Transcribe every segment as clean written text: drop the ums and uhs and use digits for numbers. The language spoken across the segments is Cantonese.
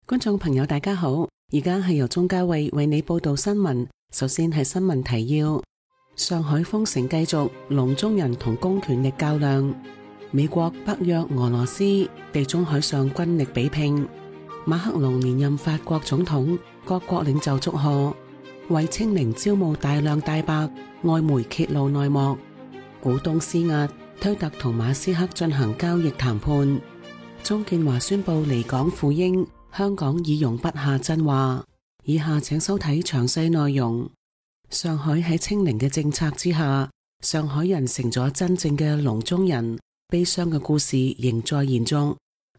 觀眾朋友大家好，而家係由鍾嘉慧為你報道新聞。首先係新聞提要：上海封城繼續，籠中人同公權力較量。美國、北約、俄羅斯地中海上軍力比拼。馬克龍連任法國總統，各國領袖祝賀。為清明招募大量大白，外媒揭露內幕。股東施壓，推特同馬斯克進行交易談判。鍾建華宣布離港赴英，香港已容不下真話。以下請收睇詳細內容。上海喺清零嘅政策之下，上海人成咗真正嘅籠中人，悲傷嘅故事仍在延續。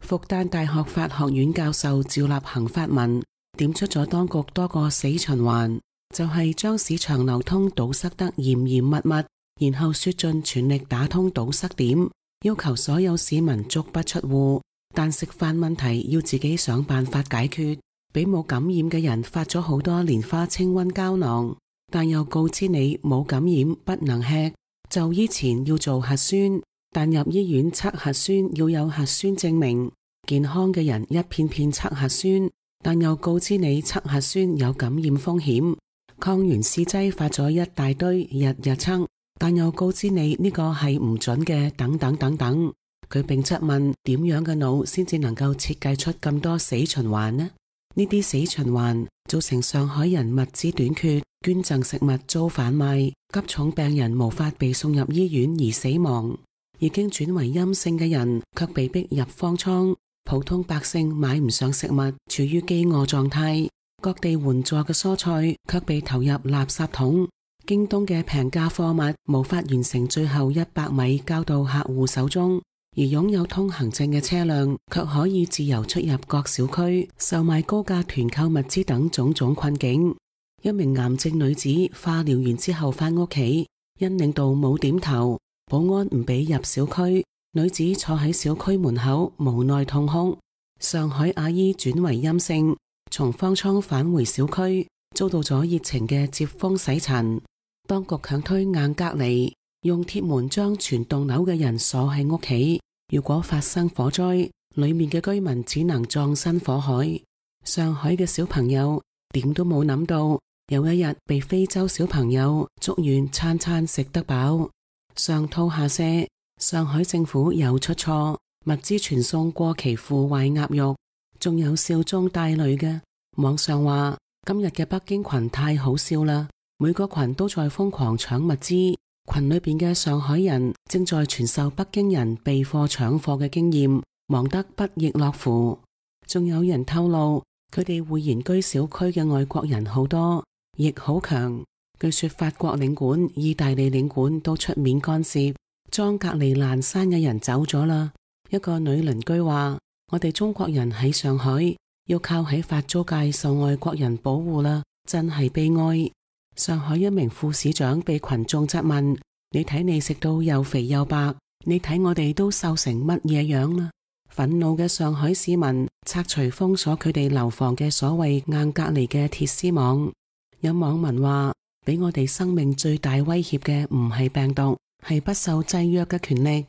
復旦大學法學院教授趙立行發文，點出咗當局多個死循環，就係將市場流通堵塞得嚴嚴密密，然後說盡全力打通堵塞點，要求所有市民足不出戶，但食飯問題要自己想辦法解決。俾冇感染嘅人發咗好多蓮花清瘟膠囊，但又告知你冇感染不能吃。就醫前要做核酸，但入醫院測核酸要有核酸證明。健康嘅人一片片測核酸，但又告知你測核酸有感染風險。抗原試劑發咗一大堆，日日測，但又告知你呢個係唔準嘅，等等等等。佢並質問點樣嘅腦先至能夠設計出咁多死循環呢？呢啲死循環造成上海人物資短缺，捐贈食物遭販賣，急重病人無法被送入醫院而死亡，已經轉為陰性嘅人卻被逼入方艙，普通百姓買唔上食物，處於飢餓狀態，各地援助嘅蔬菜卻被投入垃圾桶，京東嘅平價貨物無法完成最後100米交到客戶手中，而擁有通行證嘅車輛卻可以自由出入各小區，售賣高價團購物資等種種困境。一名癌症女子化療完之後返屋企，因領導冇點頭，保安唔俾入小區，女子坐喺小區門口無奈痛哭。上海阿姨轉為陰性，從方艙返回小區，遭到咗熱情嘅接風洗塵。當局強推硬隔離，用鐵門將全棟樓嘅人鎖喺屋企，如果發生火災，裏面嘅居民只能葬身火海。上海嘅小朋友點都冇諗到，有一日被非洲小朋友祝願餐餐食得飽。上吐下瀉，上海政府又出錯，物資傳送過期腐壞鴨肉，仲有笑中帶淚嘅。網上話今日嘅北京群太好笑啦，每個群都在瘋狂搶物資。群裏邊嘅上海人正在傳授北京人備貨搶貨嘅經驗，忙得不亦樂乎。仲有人透露，佢哋會延居小區嘅外國人好多，亦好強。據說法國領館、意大利領館都出面干涉，裝隔離爛山嘅人走咗啦。一個女鄰居話：我哋中國人喺上海要靠喺法租界受外國人保護啦，真係悲哀。上海一名副市長被群眾質問：你睇你食到又肥又白，你睇我哋都瘦成乜嘢樣啦？憤怒嘅上海市民拆除封鎖佢哋樓房嘅所謂硬隔離嘅鐵絲網。有網民話：俾我哋生命最大威脅嘅唔係病毒，係不受制約嘅權力。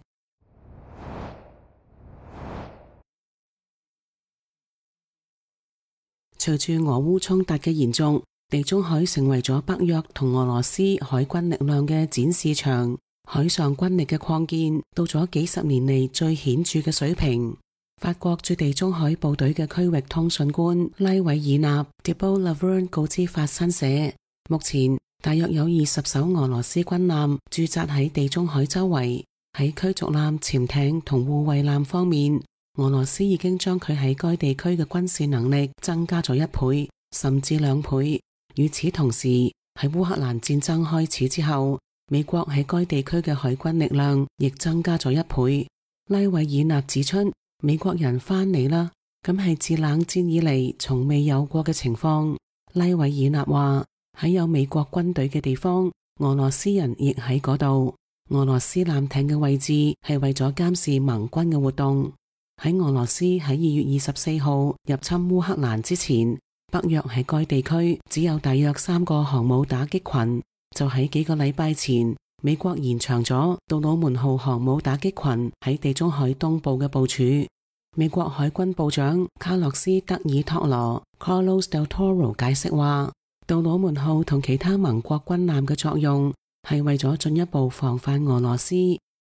隨住俄烏衝突嘅延續，地中海成為咗北約同俄羅斯海軍力量嘅展示場，海上軍力嘅擴建到咗幾十年嚟最顯著嘅水平。法國駐地中海部隊嘅區域通訊官拉維爾納 Thibault Laverne 告知法新社，目前大約有20艘俄羅斯軍艦駐紮喺地中海周圍。喺驅逐艦、潛艇同護衛艦方面，俄羅斯已經將佢喺該地區嘅軍事能力增加咗1倍，甚至2倍。與此同時，喺烏克蘭戰爭開始之後，美國喺該地區嘅海軍力量亦增加咗1倍。拉維爾納指出，美國人返嚟啦，咁係自冷戰以嚟從未有過嘅情況。拉維爾納話：喺有美國軍隊嘅地方，俄羅斯人亦喺嗰度。俄羅斯艦艇嘅位置係為咗監視盟軍嘅活動。喺俄羅斯喺2月24號入侵烏克蘭之前，北約喺該地區只有大約3個航母打擊群。就喺幾個禮拜前，美國延長咗杜魯門號航母打擊群喺地中海東部嘅部署。美國海軍部長卡洛斯·德爾托羅 Carlos del Toro 解釋話，杜魯門號同其他盟國軍艦嘅作用係為咗進一步防範俄羅斯，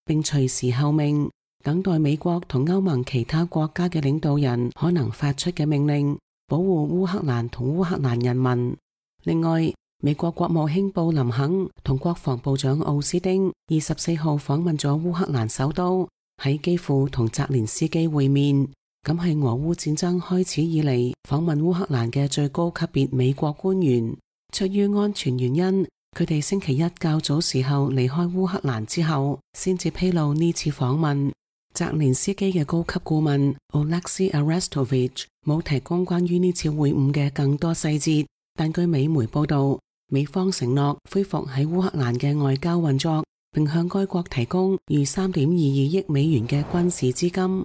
並隨時候命，等待美國同歐盟其他國家嘅領導人可能發出嘅命令，保護烏克蘭同烏克蘭人民。另外，美國國務卿布林肯同國防部長奧斯汀24號訪問咗烏克蘭首都，喺基輔同澤連斯基會面，咁係俄烏戰爭開始以嚟訪問烏克蘭嘅最高級別美國官員。出於安全原因，佢哋星期一較早時候離開烏克蘭之後，先至披露呢次訪問。澤連斯基嘅高級顧問 Oleksiy Arestovich 冇提供關於呢次會晤嘅更多細節，但據美媒報道，美方承諾恢復喺烏克蘭嘅外交運作，並向該國提供逾3.22億美元嘅軍事資金。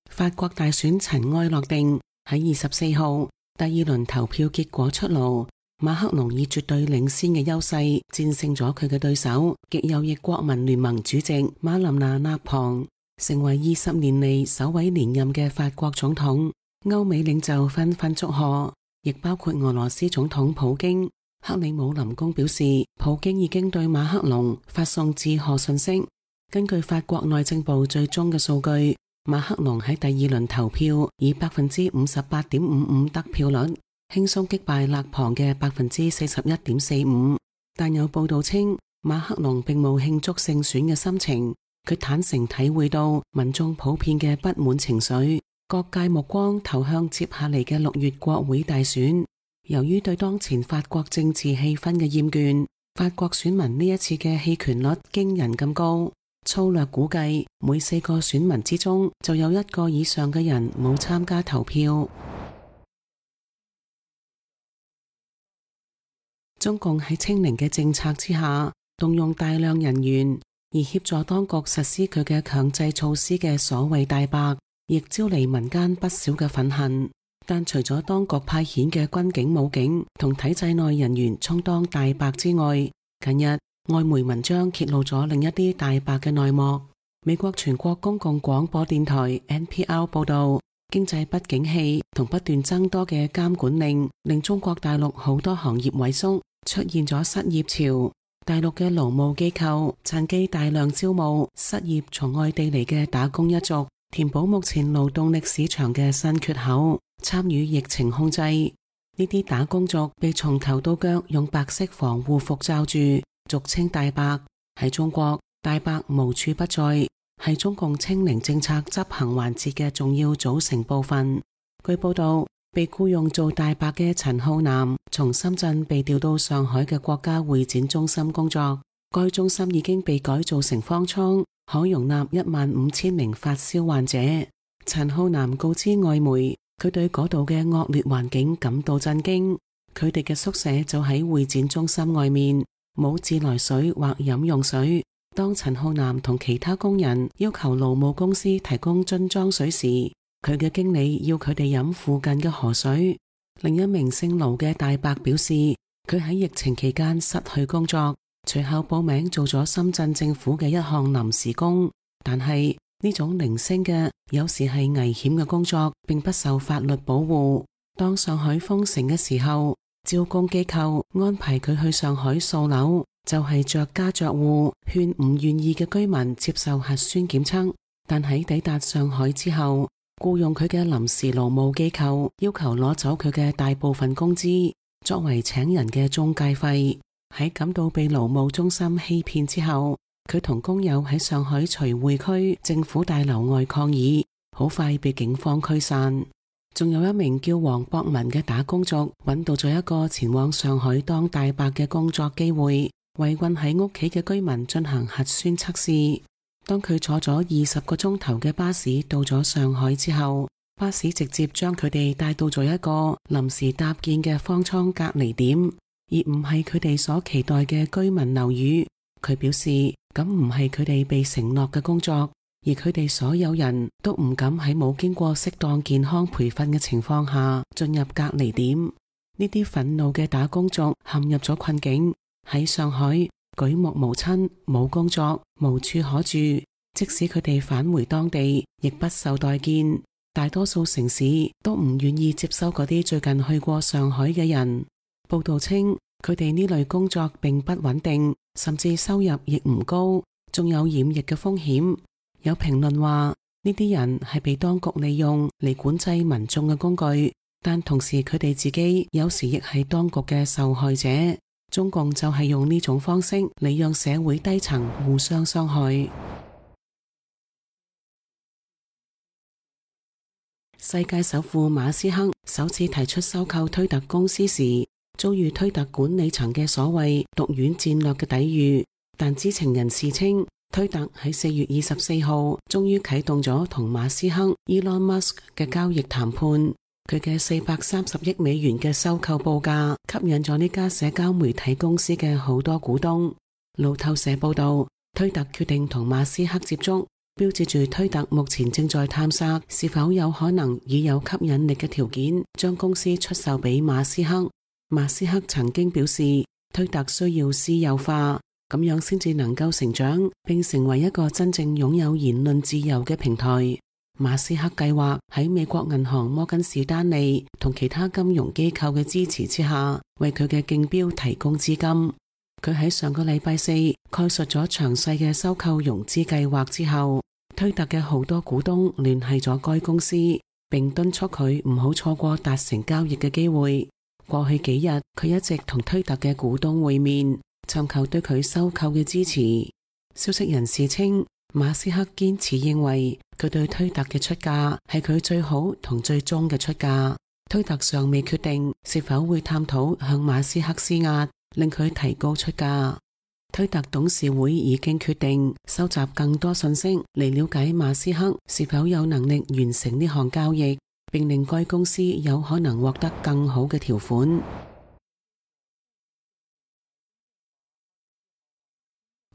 法國大選塵埃落定，喺24號第二輪投票結果出爐，馬克龍以絕對領先嘅優勢戰勝咗佢嘅對手極右翼國民聯盟主席馬琳娜·勒龐，成為20年嚟首位連任嘅法國總統。歐美領袖紛紛祝賀，亦包括俄羅斯總統普京。克里姆林宮表示，普京已經對馬克龍發送致賀信息。根據法國內政部最終嘅數據，馬克龍喺第二輪投票以 58.55% 得票率，輕鬆擊敗勒龐嘅 41.45%。但有報道稱，馬克龍並冇慶祝勝選嘅心情，佢坦誠體會到民眾普遍嘅不滿情緒。各界目光投向接下嚟嘅6月國會大選。由於對當前法國政治氣氛嘅厭倦，法國選民呢一次嘅棄權率驚人咁高。粗略估計，每4個選民之中就有1個以上嘅人冇參加投票。中共喺清零嘅政策之下，動用大量人員，而協助當局實施佢嘅強制措施嘅所謂大白，亦招嚟民間不少嘅憤恨。但除咗當局派遣嘅軍警、武警同體制內人員充當大白之外，近日外媒文章揭露咗另一啲大白嘅內幕。美國全國公共廣播電台 NPR 報道，經濟不景氣同不斷增多嘅監管令，令中國大陸好多行業萎縮，出現咗失業潮。大陸嘅勞務機構趁機大量招募失業從外地嚟嘅打工一族，填補目前勞動力市場嘅新缺口，參與疫情控制。呢啲打工族被從頭到腳用白色防護服罩住，俗稱大白。喺中國，大白無處不在，係中共清零政策執行環節嘅重要組成部分。據報道，被僱用做大白嘅陳浩南從深圳被調到上海嘅國家會展中心工作，該中心已經被改造成方艙，可容納15000名發燒患者。陳浩南告知外媒，佢對嗰度嘅惡劣環境感到震驚。佢哋嘅宿舍就喺會展中心外面，冇自來水或飲用水。當陳浩南同其他工人要求勞務公司提供樽裝水時，佢嘅經理要佢哋飲附近嘅河水。另一名姓盧嘅大白表示，佢喺疫情期間失去工作，隨後報名做咗深圳政府嘅一項臨時工。但係呢種零星嘅，有時係危險嘅工作，並不受法律保護。當上海封城嘅時候，招工機構安排佢去上海掃樓，就係着家着戶勸唔願意嘅居民接受核酸檢測。但喺抵達上海之後，僱用佢嘅臨時勞務機構要求攞走佢嘅大部分工資，作為請人嘅中介費。喺感到被勞務中心欺騙之後，佢同工友喺上海徐匯區政府大樓外抗議，好快被警方驅散。仲有一名叫黃博文嘅打工族揾到咗一個前往上海當大白嘅工作機會，為困喺屋企嘅居民進行核酸測試。當佢坐咗20個鐘頭嘅巴士到咗上海之後，巴士直接將佢哋帶到咗一個臨時搭建嘅方艙隔離點，而唔係佢哋所期待嘅居民樓宇。佢表示，咁唔係佢哋被承諾嘅工作，而佢哋所有人都唔敢喺冇經過適當健康培訓嘅情況下進入隔離點。呢啲憤怒嘅打工族陷入咗困境。喺上海，舉目無親，冇工作，無處可住。即使佢哋返回當地，亦不受待見。大多數城市都唔願意接收嗰啲最近去過上海嘅人。報道稱，佢哋呢類工作並不穩定，甚至收入亦唔高，仲有染疫嘅風險。有評論話，呢啲人係被當局利用嚟管制民眾嘅工具，但同時佢哋自己有時亦係當局嘅受害者。中共就係用呢種方式嚟讓社會低層互相傷害。世界首富馬斯克首次提出收購推特公司時，遭遇推特管理層嘅所謂毒丸戰略嘅抵禦，但知情人士稱，推特喺4月24號終於啟動咗同馬斯克 Elon Musk 嘅交易談判。佢嘅430億美元嘅收購報價吸引咗呢家社交媒體公司嘅好多股東。路透社報道，推特決定同馬斯克接觸，標誌住推特目前正在探索是否有可能以有吸引力嘅條件將公司出售俾馬斯克。馬斯克曾經表示，推特需要私有化，咁樣先至能夠成長並成為一個真正擁有言論自由嘅平台。馬斯克計劃喺美國銀行摩根士丹利同其他金融機構嘅支持之下，為佢嘅競標提供資金。佢喺上個禮拜四概述咗詳細嘅收購融資計劃之後，推特嘅好多股東聯繫咗該公司，並敦促佢唔好錯過達成交易嘅機會。過去幾日，佢一直同推特嘅股東會面，尋求對佢收購嘅支持。消息人士稱，馬斯克堅持認為佢對推特嘅出價係佢最好同最終嘅出價。推特尚未決定是否會探討向馬斯克施壓，令佢提高出價。推特董事會已經決定收集更多信息嚟了解馬斯克是否有能力完成呢項交易，並令該公司有可能獲得更好嘅條款。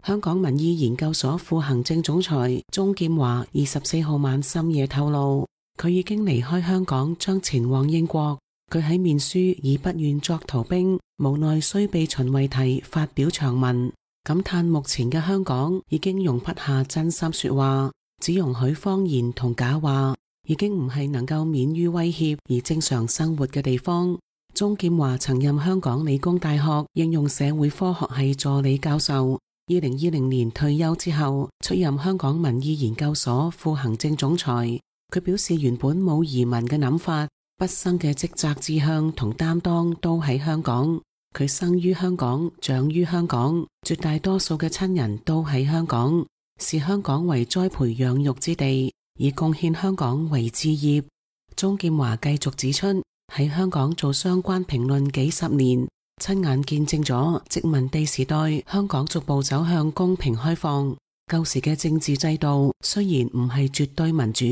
香港民意研究所副行政總裁鍾劍華24號晚深夜透露，佢已經離開香港，將前往英國。佢喺面書以不願作逃兵，無奈須被秦為題發表長文，感嘆目前嘅香港已經容不下真心說話，只容許謊言同假話，已經唔係能夠免於威脅而正常生活嘅地方。鍾劍華曾任香港理工大學應用社會科學系助理教授，2020年退休之後出任香港民意研究所副行政總裁。佢表示原本冇移民嘅諗法，畢生嘅職責志向同擔當都喺香港。佢生於香港，長於香港，絕大多數嘅親人都喺香港，視香港為栽培養育之地，以貢獻香港為志業。鍾劍華繼續指出，喺香港做相關評論幾十年，親眼見證咗殖民地時代香港逐步走向公平開放。舊時嘅政治制度雖然唔係絕對民主，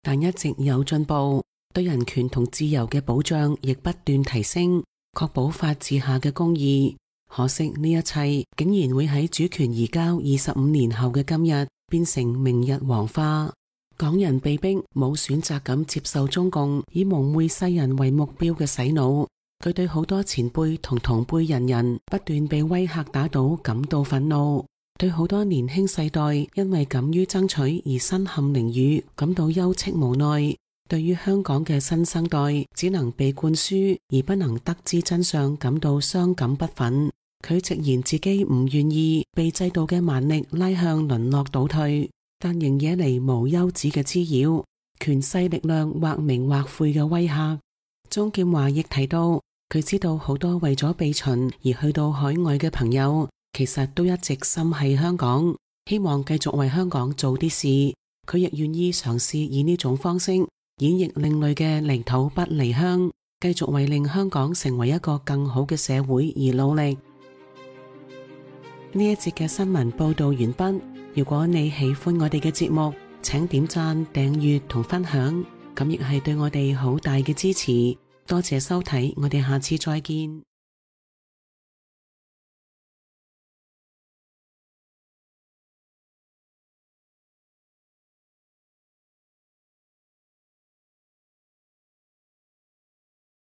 但一直有進步，對人權同自由嘅保障亦不斷提升，確保法治下嘅公義。可惜呢一切竟然會喺主權移交25年後嘅今日變成明日黃花。港人被逼冇選擇咁接受中共以蒙昧世人為目標嘅洗腦。佢對好多前輩同同輩人不斷被威嚇打倒感到憤怒，對好多年輕世代因為敢於爭取而身陷囹圄感到憂戚無奈。對於香港嘅新生代只能被灌輸而不能得知真相感到傷感不忿。佢直言自己唔願意被制度嘅蠻力拉向淪落倒退，但仍惹嚟無休止嘅滋擾，權勢力量或明或晦嘅威嚇。鍾劍華亦提到，佢知道好多為咗避秦而去到海外嘅朋友，其實都一直心繫香港，希望繼續為香港做啲事。佢亦願意嘗試以呢種方式演繹另類嘅離土不離鄉，繼續為令香港成為一個更好嘅社會而努力。呢一節嘅新聞報道完畢。如果你喜歡我哋嘅節目，請點讚、訂閱同分享，咁亦係對我哋好大嘅支持。多謝收睇，我哋下次再見。